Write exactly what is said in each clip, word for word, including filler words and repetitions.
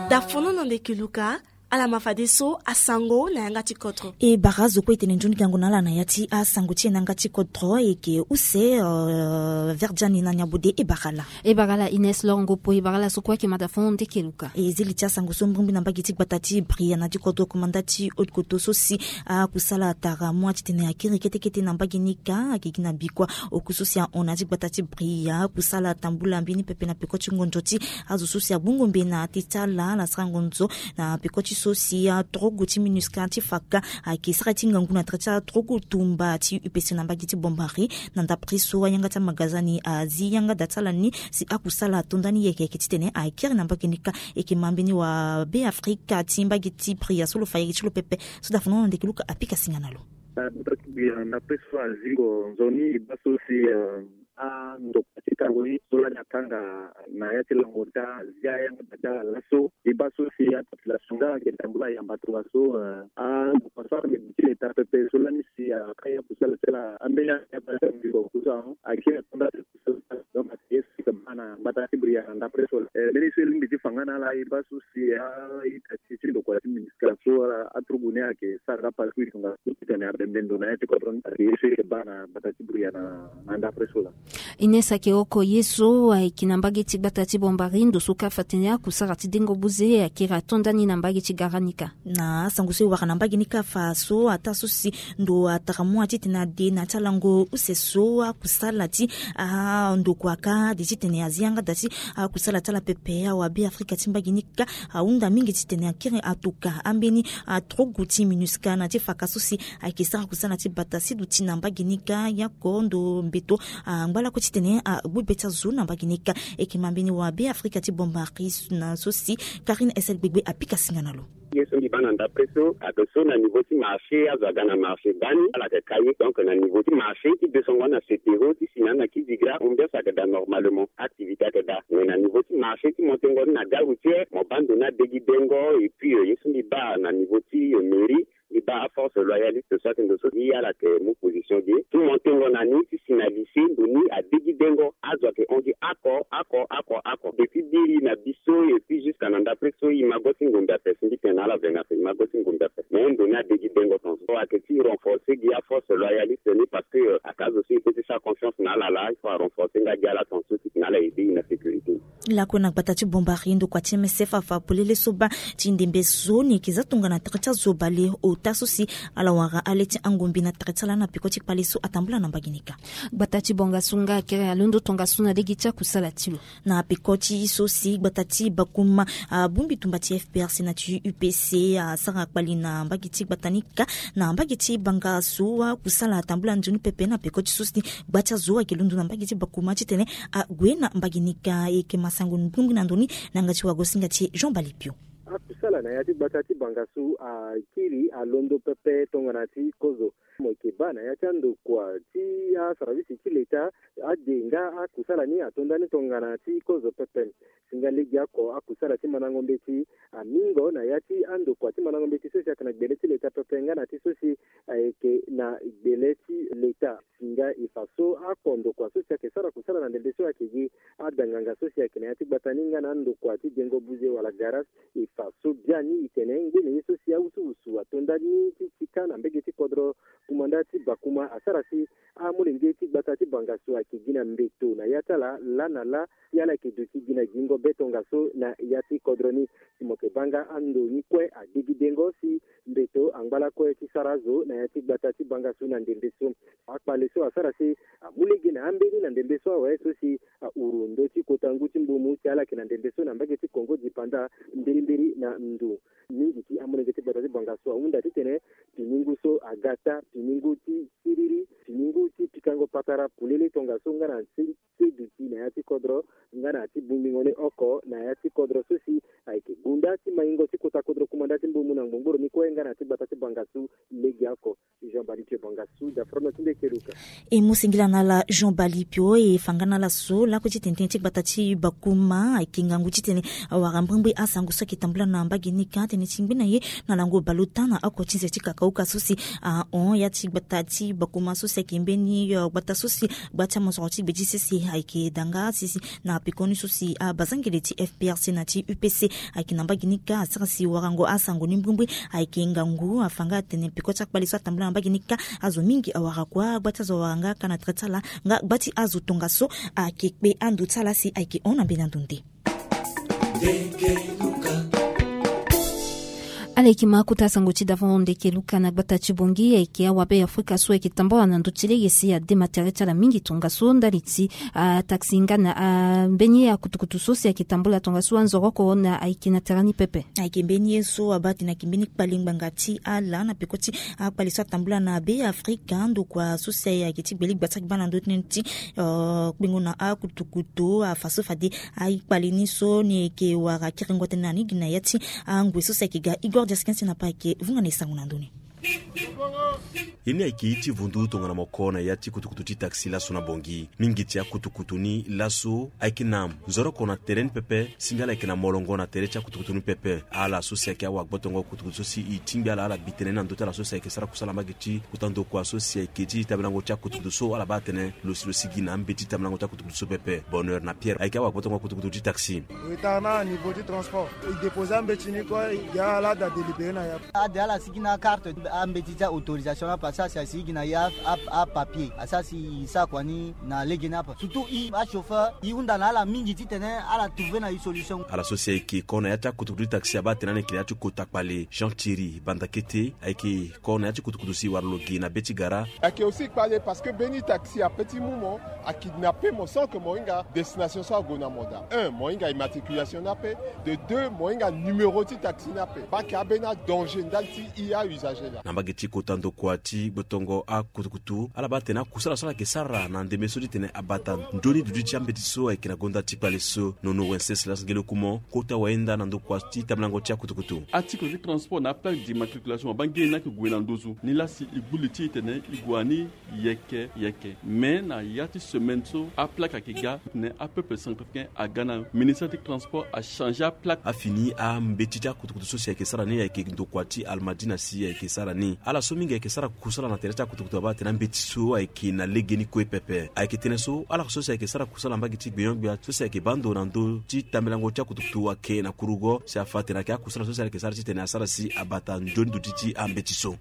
Dafono na ndeke luka. Ala ma fadeso asango na yanga ti kodro. E bara azo kue e tene nzoni gango na ala na ya ti asango ti e na yanga ti kodro. E yeke use verdiani na nyabode e bara ala. E bara ala ines longo po e bara ala so kue ayeke ma dafono ndeke luka. E zi li ti asango so mbongbi na mbage ti gbata ti bria na ti kodro komanda ti haute koto so si akusala atara mua titene akiri ketekete na mbage ni kâ ayeke gi na bikua. Oku so si ahon na ya ti gbata ti bria akusala atambula mbeni pepe na peko ti ngonzo ti azo so si agbongo mbe na te ti ala ala sara ngonzo na peko ti so si atorogo ti minusca ti faka ayeke sara ti ngangu na tere ti atorogo tumba ti upc na mbage ti bombari. Na ndapre so ayanga ti amagazani azi yanga da ti ala ni si akusala ato ndani yeke yeke titene akiri na mbage ni kâ. Eke ma mbeni wa be afrika ti mbage ti bria so lo fa yeke ti lo pepe. So dafono na ndeke luka apika singa na lo. Ndapre so azingo nzoni e baa so si andokua ti tango ni so lani akanga na ya ti lango ti azia yanga da ti ala laso. E baa so si apopulation nga ayeke tambula ayamba tongaso. Andokua so ayeke gi ti leta pepe so lani si akai akusala ti ala ambeni ayamba ti ala ngingo kusa akiri atonda ti kusala ti ala. Donc ayeke ye so si ayeke baa na gbata ti bria na ndapre so laa mbeni so e lingbi ti fa nga na ala e baa so si a-ita ti ti ndokua ti ministre so aturugu ni ayeke sara nga pasi so e tongaso titene abembe ndo na ya ti kodro ni ayeke ye so e yeke baa na gbata ti bria na ndapre so laa. Ines ayeke oko ye so ayeke na mbage ti gbata ti bombari ndo so kâ fa tene akusara ti dengo buze akiri ato ndani na mbage ti gara ni kâ. Na asango so e wara na mbage ni kâ fa so ataa so si ndo atara mua titene ade na ya ti alango use so akusala ti andokua kâ ade titene azi yanga da ti akusala ti ala pepe awa be afrika ti mbage ni kâ ahunda mingi titene akiri atuka ambeni atorogo ti minusca na ti faka so si ayeke sara kusala ti bata si duti na mbage ni kâ yako ndo mbeto angba lakue titene agbu be ti azo na mbage ni kâ. Eke ma mbeni wa be afrika ti bombari na so si karine esel gbegbe apika singa na lo. Ye so mbi baa na ndapre so ayeke so na niveau ti marché azo aga na marché bani ala yeke ka ye. Donc na niveau ti marché ti de songo na setero ti si na na kizigra ambiance ayeke daa normalement activité ayeke daa. Mais na niveau ti marché ti montengo ni na gare routière mo baa ndo ni adegi dengo. Et puis ye so mbi baa na niveau ti mairie mbi baa aforce loyaliste so ayeke ndo so gi ala yeke mu position ge ti montengo na ni ti si na lycée ndo ni adegi dengo. Azo ayeke hon gi oko oko oko oko depuis biri na biso. Et puis jusqu'à na ndapre so e ma go ti ngombe ape si mbi tene na ala vena ape e ma go ti ngombe ape. Mais ndo ni adegi dengo tongaso ayeke ti renforcer gi aforce loyaliste ni parce que ayeke azo so e peut ti sara confiance na ala laa il faut arenforcer nga gi ala tongaso titene ala aider e na sécurité. Lakue na gbata ti bombari ndokua ti msf afa polele so baa ti ndembe so ni yeke za tongana tere ti azo bale ota so si ala wara ale ti angombe na tere ti ala na peko ti kpale so atambula na mbage ni kâ. Gbata ti bongasu nga akere alondo tongasu na lege ti akusala ti lo. Na peko ti so si gbata ti bakuma abongbi tumba ti fprc na ti upc asara kpali na mbage ti gbata ni kâ. Na mbage ti bangasu akusala atambula nzoni pepe na peko ti so si gba ti azo ayeke londo na mbage ti bakuma titene ague na mbage ni kâ. E yeke ma sango ni bongbi na ndo ni na yanga ti wagosinga ti e jean balipio. Akusala na ya ti gbata ti bangasu akiri alondo pepe tongana ti kozo. Mo yeke baa na ya ti andokua ti asaravisi ti leta ade nga akusala ni ato ndani tongana ti kozo pepe. Si nga lege oko akusala ti mandango mbeti amingo na ya ti andokua ti mandango mbeti so si ayeke na gbele ti leta pepe nga na ti so si ayeke na gbele ti leta. Si nga e fa so oko ndokua so si ayeke sara kusala na ndembe so ayeke gi adanganga so si ayeke na ya ti gbata ni nga na andokua ti dengo buze wala garas. E fa so biani e tene ngbene ye so si awusuwusu ato ndani ti ti kâ na mbege ti kodro kumanda ti bakuma asara si amolenge ti gbata ti bangasu ayeke gi na mbeto na ya ti ala laa na laa. Si ala yeke duti gi na gingo be tongaso na ya ti kodro ni. Si mo yeke baa nga ando ni kue adegi dengo si mbeto angba lakue ti sara azo na ya ti gbata ti bangasu na ndembe so. Akpale so asara si amu lege na ambeni na ndembe so awe so si ahuru ndö ti kota ngu ti mbumu ti ala yeke na ndembe so na mbage ti kongo dipanda mbirimbiri na ndo. Mingi ti amolenge ti gbata ti bangasu ahunda titene piningu so aga taa piningu ti siriri piningu ti pikango patara polele tongaso nga na nse ti duti na ya ti kodro nga na ya ti bongbingo ni oko na ya ti kodro so si ayeke gunda ti maingo ti kota kodro kumanda ti mbumu na ngbongboro ni kue nga na ya ti gbata ti bangasu. Legeoko. Jean Bali Pio Bonga Sud, Afro Nord, Ndekeluka. E mu singila na ala Jean Bali Pio, e fa nga na ala so lakue ti tene tënë ti gbata ti Bakuma ayeke ngangu titene awara mbrimbri asango so ayeke tambula na mbage ni ka tënë ti ngbe na ye na lango baleota na oko ti nze ti kakauka so si ahon ya ti gbata ti Bakuma so si ayeke mbeni, eh, gbata so si gba ti amosoro ti gbe ti sese ayeke danga sisi na pekoni so si abazangele ti F P R C na ti U P C ayeke na mbage ni ka asara si warango asango ni mbrimbri ayeke ngangu afa nga atene peko ti akpale so atambula na mbage ni ka azo mingi awara kua gba ti azo awara nga ka na tere ti ala nga gba ti azo tongaso ayeke kpe ando ti ala si ayeke hon na mbeni ando nde. Ala yeke ma kota sango ti davon Ndekeluka na gbata ti Bongi ayeke awabe Afrika so ayeke tambula na ndö ti lege si ade ma tere ti ala mingi tongaso ndali ti ataxi nga na, ah, mbeni akutukutu so si ayeke tambula tongaso anzoroko na ayeke na tere ni pepe. Ayeke mbeni ye so abaa atene ayeke mbeni kpale ngbanga ti ala na peko ti akpale so atambula na be Afrika ndokua so si ayeke ti gbele gba ti agba na ndö ti, eh, kpengo na akutukutu afa so fade akpale ni so ni yeke wara kiringo tënë na ni gi na ya ti angwe so si ayeke ga Igor Diaskin si na pa ayeke vunga na e sango na ndö ni. Ye ni ayeke ye ti vundu tongana moko na ya ti kutukutu ti taxi laso na Bongi. Mingi ti akutukutu ni laso ayeke na nzoroko na tere ni pepe si nga ala yeke na molongo na tere ti akutukutu ni pepe. Ala so si ayeke awagbotongo kutukutu so si e tingbi ala ala bi tënë ni na ndö ti ala so si ayeke sara kusala mbage ti kota ndokua so si ayeke ti tambilango ti akutukutu so ala baa atene lo si lo sigi na ambeti tambilango ti akutukutu so pepe. Bonheur na Pierre ayeke awagbotongo kutukutu ti taxi. Retard na niveau ti transport. E déposer ambeti ni kue, e ga ala da délibéré na ya. Ade ala sigi na akarte, ambeti ti autorisation ni ape asara si asigi na ya a, a, apapier asara si e sara kua ni na lege ni ape. Surtout e achauffeur, e hunda na ala mingi titene ala trouver na e solution. Ala so si ayeke ko na ya ti akutukutu ti taxi abaa atene ani yeke na ya ti kota kpale. Jean Thierry Bandakete ayeke ko na ya ti kutukutu si wara lo gi na be ti gara. Ayeke aussi kpale parce que mbeni taxi ape ti mu mo, akidnappé mo sans que mo hinga destination so ague na mo daa. Un, mo hinga immatriculation ni ape. De deux, mo hinga numéro ti taxi ni ape. Baa ayeke ambeni adanger ndali ti e ausager laa. Na mbage ti kota ndokua ti gbotongo akutukutu, ala baa atene akusala so ala yeke sara na ndembe so titene abata nzoni duti ti ambeti so ayeke na gonda ti kpale so. Nono Wenceslus Ngelekumo, kota wayenda na ndokua ti tambilango ti akutukutu. Article ti transport na aplaque d'immatriculation abaa ngia ni ayeke gue na nduzu. Nilaa si e gbu li ti e tene e gue na ni yeke yeke. Mais na ya ti semaine so aplaque ayeke ga, titene apeuple centrafricain aga na ministère ti transport achangé aplaque. Afini ambeti ti akutukutu so si ayeke sara ni ayeke ndokua ti Almadina si ayeke sara ni. Ala so mingi ayeke sara kusala na tere ti akutukutu abaa atene ambeti so ayeke na legeni kue pepe. Ayeke tënë so ala so si ayeke sara kusala na mbage ti gbenyo-gbia so si ayeke baa ndo na ndö ti tambilango ti akutukutu ayeke na kurugo si afa atene ayeke akusala so si ala yeke sara titene asara si abata nzoni duti ti ambeti so.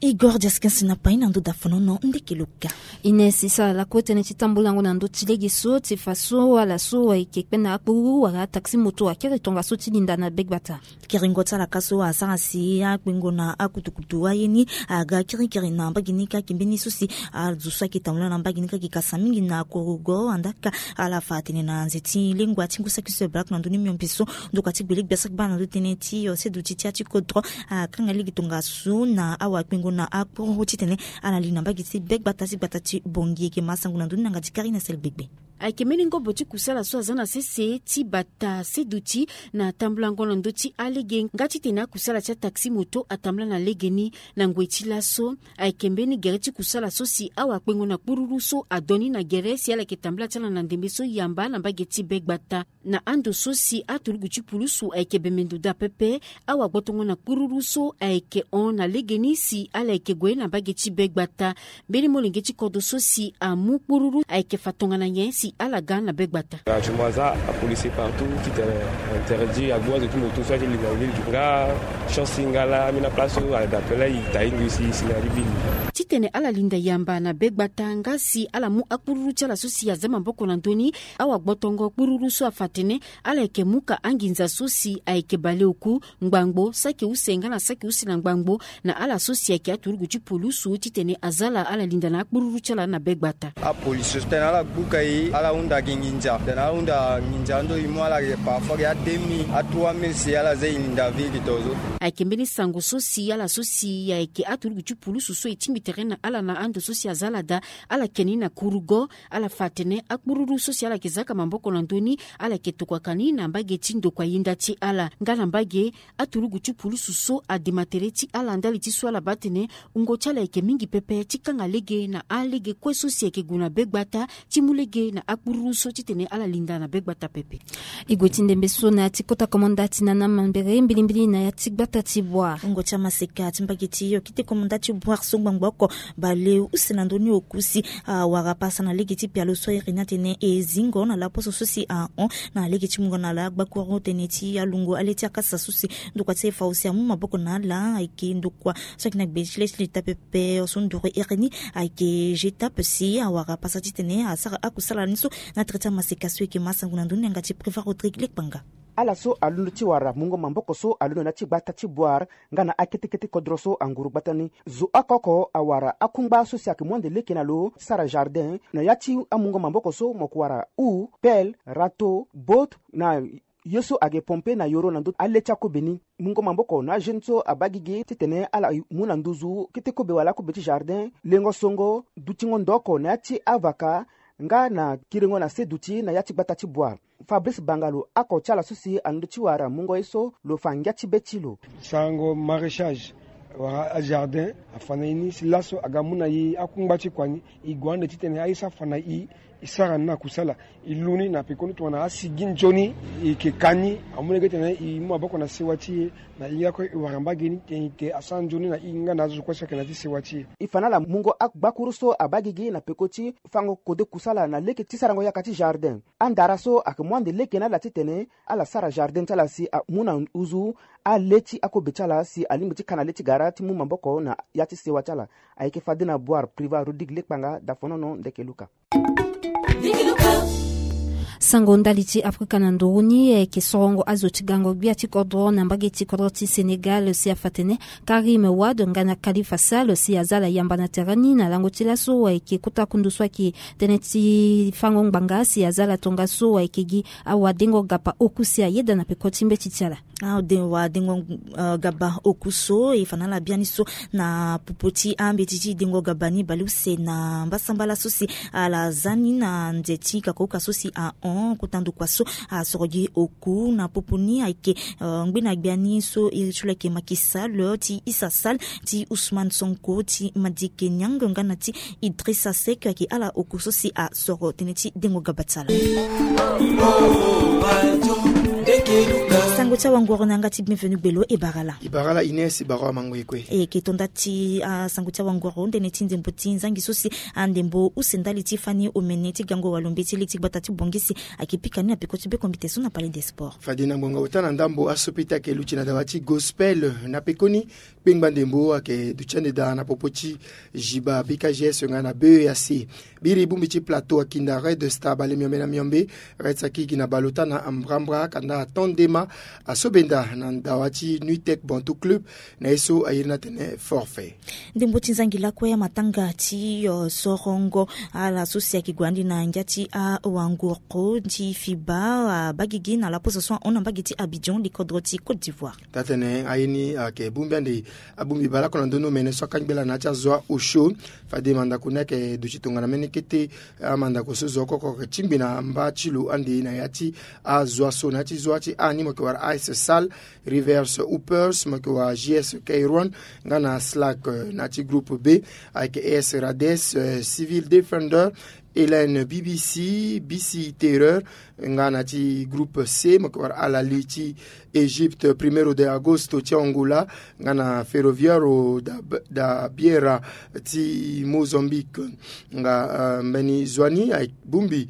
Igor Diaskins na pai na ndö dafonono Ndekeluka. Ines e sara lakue tënë ti tambulango na ndö ti lege so ti fa so ala so ayeke kpe na akpuru wala ataxi moto akiri tongaso ti linda na begbata. Kiringo ti ala ka so asara si akpengo na akutukutu aye ni aga kirikiri na mbage ni ka. Ayeke mbeni so si azo so ayeke tambula na mbage ni ka ayeke kasa mingi na kurugo. Andaa ka ala fa atene na nze ti lengua ti ngu saki so e baleoko na ndö ni miombe so ndokua ti gbele gbia saki baa na ndö tënë ti ose duti ti ya ti kodro akanga lege tongaso na awakpengo na akpuru titene ala li na mbage ti begbata ti gbata ti Bongi. Ayeke ma sango na ndö ni na yanga ti Karine Sel Gbegbe. Ayeke mbeni ngobo ti kusala so aza na sese ti bata se duti na tambulango na ndö ti alege nga titene akusala ti ataxi moto atambula na legeni. Na ngoi ti laso ayeke mbeni gere ti kusala so si awakpengo na kpururu so adoni na gere si ala yeke tambula ti ala na ndembe so yamba na mbage ti begbata. Na ando so si aturugu ti pulusu ayeke bembe ndo daa pepe, awagbotongo na kpururu so ayeke hon na legeni si ala yeke gue na mbage ti begbata. Mbeni molenge ti kodro so si amu kpururu ayeke fa tongana nyen si ala ga na begbata. Actuellement aza apolice partout titene interdit agbu azo ti moto so aye ti linda na ville du nga chance ti nga la ambeni aplace so ada pe la e ta hingo e si e si na li ville. Titene ala linda yamba na begbata nga si ala mu akpururu ti ala so si aza maboko na ndö ni. Awagbotongo kpururu so afa atene ala yeke mu ka anginza so si ayeke baleoku, ngbangbo, saki use nga na saki use na ngbangbo na ala so si ayeke aturugu ti pulusu titene aza ala ala linda na akpururu ti ala na begbata. Apolice so tene ala gbu ka e Ala hunda gi nginza tena ala hunda nginza ando e mu ala gi parfois gi a deux mille a trois mille si ala za e linda vie gi tongaso. Ayeke mbeni sango so si ala so si ayeke aturugu ti pulusu so e tingbi tere na ala na ando so si aza ala daa. Ala yeke ni na kurugo. Ala fa atene akpururu so si ala yeke zaka maboko na ndö ni ala yeke tokuaka ni na mbage ti ndokua yenda ti ala nga na mbage aturugu ti pulusu so adema tere ti ala ndali ti so ala baa atene wungo ti ala yeke mingi pepe ti kanga lege na alege kue so si ayeke gue na begbata ti mu lege na akpururu so titene ala linda na begbata pepe. E gue ti ndembe so na ya ti kota komanda ti nana mambere mbilimbili na ya ti gbata ti Bouar. Wungo ti amaseka ti mbage ti okite komanda ti Bouar so ngbangbo oko baleuse na ndö ni oku si awara pasa na lege ti pialo so iri ni atene e zingo na laposo so si ahon na lege ti mungo na ala gbakuru tënë ti alungo ale ti akasa so si ndokua ti e fa aussi amu maboko na ala ayeke ndokua so ayeke na gbe ti le ti leta pepe so nduru iri ni ayeke G tape si awara pasa titene asara akusala ni so na tere ti amaseka so e yeke ma sango na ndö ni na yanga ti Préva Rodrigue Lekpanga. Ala so alondo ti wara mungo maboko so alondo na ya ti gbata ti Bouar nga na akete kete kodro so anguru gbata ni zo oko oko awara akungba so si ayeke mu ande leke na lo ti sara jardin na ya ti amungo maboko so mo yeke wara houe, pelle, râteau, botte na ye so ayeke pompe na yoro na ndö ale ti akobe ni. Mungo maboko na ajeune so abaa gigi titene ala mu na nduzu kete kobe wala akobe ti jardin, lengo songo, dutingo ndo oko na ya ti avaka nga na kiringo na se duti na ya ti gbata ti Bouar. Fabrice Bangalo, oko ti ala so si alondo ti wara mungo ye so, lo fa ngia ti be ti lo. Sarango maraîchage wala ajardin afa na e ni si laso aga mu na e akungba ti kua ni. E gue ande titene aye so afa na e, e sara ni na kusala. E lu ni na pekoni tongana asigi nzoni e yeke ka ni. Amu lege titene e mu maboko na sewa ti e na hinga kue e wara mbage ni titene e te asara nzoni na e nga na azo kue so ayeke na ya ti sewa ti e. E fa na ala mungo agbakuru so abaa gigi na peko ti fango kode kusala na lege ti sarango yaka ti jardin. Andara so ayeke mu ande lege na ala titene ala sara jardin ti ala si amu na nduzu ale ti akobe ti ala si alingbi ti ka na le ti gara ti mu maboko na ya ti sewa ti ala. Ayeke fade na Bouar, Préva Rodrigue Lekpanga, Dafonono, Ndeke Luka. Sango ndali ti Afrika na nduru ni, e yeke sorongo azo ti gango gbia ti kodro na mbage ti kodro ti Sénégal si afa atene Karim Wade nga na Khalifa Sall si aza ala yamba na tere ni na lango ti laso ayeke kota kundu so ayeke tënë ti fango ngbanga si aza ala tongaso ayeke gi awadengo gapa oku si ayeda na peko ti mbeti ti ala. Awadengo gapa oku so e fa na ala biani so na popo ti ambeti ti dengo gapa ni baleuse na mbasambala so si ala za ni na nze ti kakauka so si ahon kota ndokua so asoro gi oku na popo ni ayeke ngbena gbia ni so iri ti lo ayeke Macky Sall, ti Issa Sall, ti Ousmane Sonko, ti Madické Niang nga na ti Idrissa Seck ayeke ala oku so si asoro tënë ti dengo gaba ti ala. Sango ti awangoro na yanga ti Bienvenu Gbelo e bara ala. E bara ala Ines, e bara amango e kue. E yeke to nda ti asango ti awangoro ndene ti ndembo ti nzangi so si andembo use ndali ti fani omene ti gango walombe ti li ti gbata ti Bangui si ayeke pika ni na peko ti bekombite so na Palais des Sports. Fade na ngbonga ota na ndambo aso pita ayeke luti na dawa ti gospel na pekoni. Kpengba ndembo ayeke duti ande daa na popo ti Jiba, B K G S nga na B E A C. Biri bongbi ti Plateau akinda Red Star bale miombe na miombe. Red Star akigi na bale ota na mbrambra kanda aton ndema asobenda na dawa ti Nuitech Bantou Club na ye so ayiri ni atene forfait. Ndembo ti nzangi lakue amatanga ti sorongo ala so si ayeke gue ande na ngia ti awanguru ti fiba abagigi na laposo so ahon na mbage ti Abidjan, likodro ti Côte d'Ivoire. Taa-tene aye ni ayeke bongbi ande abongbi baleoko na ndö ni omene so akangbi ala na ya ti azo a-osio. Fade mandako ni ayeke duti tongana mbeni kete amandako so zo oko oko ayeke tingbi na mba ti lo ande na ya ti azo aso na ya ti zo ti a ni mo yeke wara A S Sal, Rivers Hoopers, mo yeke wara J S Kairouan nga na Slack na ya ti groupe B. Ayeke A S Rades, Civil Defender, Hélène B B C, B C Terreur, nga na ti groupe C mo yeke wara Al Ahly ti Égypte, Primeiro de Agosto ti Angola, nga na Ferroviário da, da Beira ti Mozambique. Nga mbeni zo ni abongbi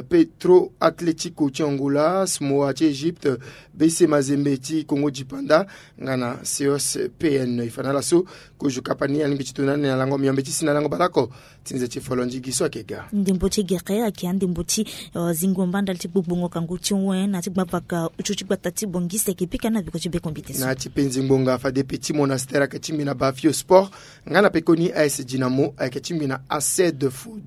Petro Atlético ti Angola, Samoa ti Égypte, B C Mazembe ti Congo Dipanda, nga na C O S P N. E fa na ala so Kozo kapa ni alingbi ti tuna ni na lango miombe ti si na lango baleoko. Ti nze ti folo ndigi so ayeke ga. Ndembo ti gere ayeke andembo ti zingo mba ndali ti gbogbo ngoka ngu ti wen na ti gbavaka utu ti gbata ti bongiste ayeke pika na biko ti bekombite so na ti penzi ngbonga fade pe ti monastère ayeke ti mbi na bafio sport. Nga na pekoni as dinamo ayeke ti mbi na acide food.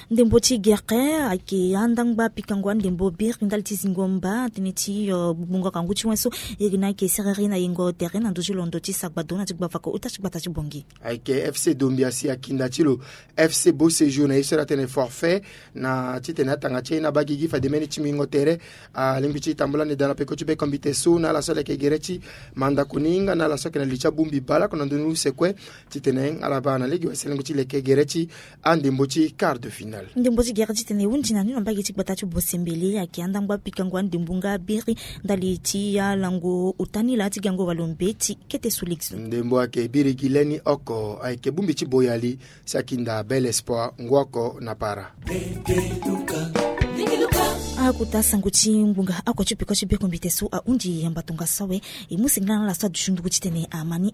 Ndembo ti gere ayeke andangba pikango andembo biri ndali ti zingo mba tënë ti gbogbo ngoka ngu ti wen so. Iri na ayeke sereri na yengo tere na ndö ti londo ti sagbado na ti gbavaka uta ti gbata ti bongi. Ayeke fc dombi asi akinda ti lo fc beau séjour na ye so iri atene forfait na titene atanga ti aye na bagigi fade mbeni ti mingo tere. Alingbi ti tambula ni daa na peko ti bekombite so na ala so aleke gere ti mandako ni nga na ala so ayeke na li ti abongbi baleoko na ndö ni use kue. Titene ala baa na lege wasi alingbi ti leke gere ti andembo ti quart de finale. Ndembo ti gere titene e hundi na ni na mbage ti gbata ti bosembele ayeke andangba pikango andembo nga biri ndali ti alango ota ni laa ti gango walo mbeti kete so lege so. Ndembo ayeke biri gi leni oko ayeke bongbi ti boyali si akinda bel espoir ngu oko na para. Akota sango ti ngbonga oko ti peko ti bekombite so ahundi yamba tongaso awe. E mu sengela na ala so aduti nduku titene ama ni.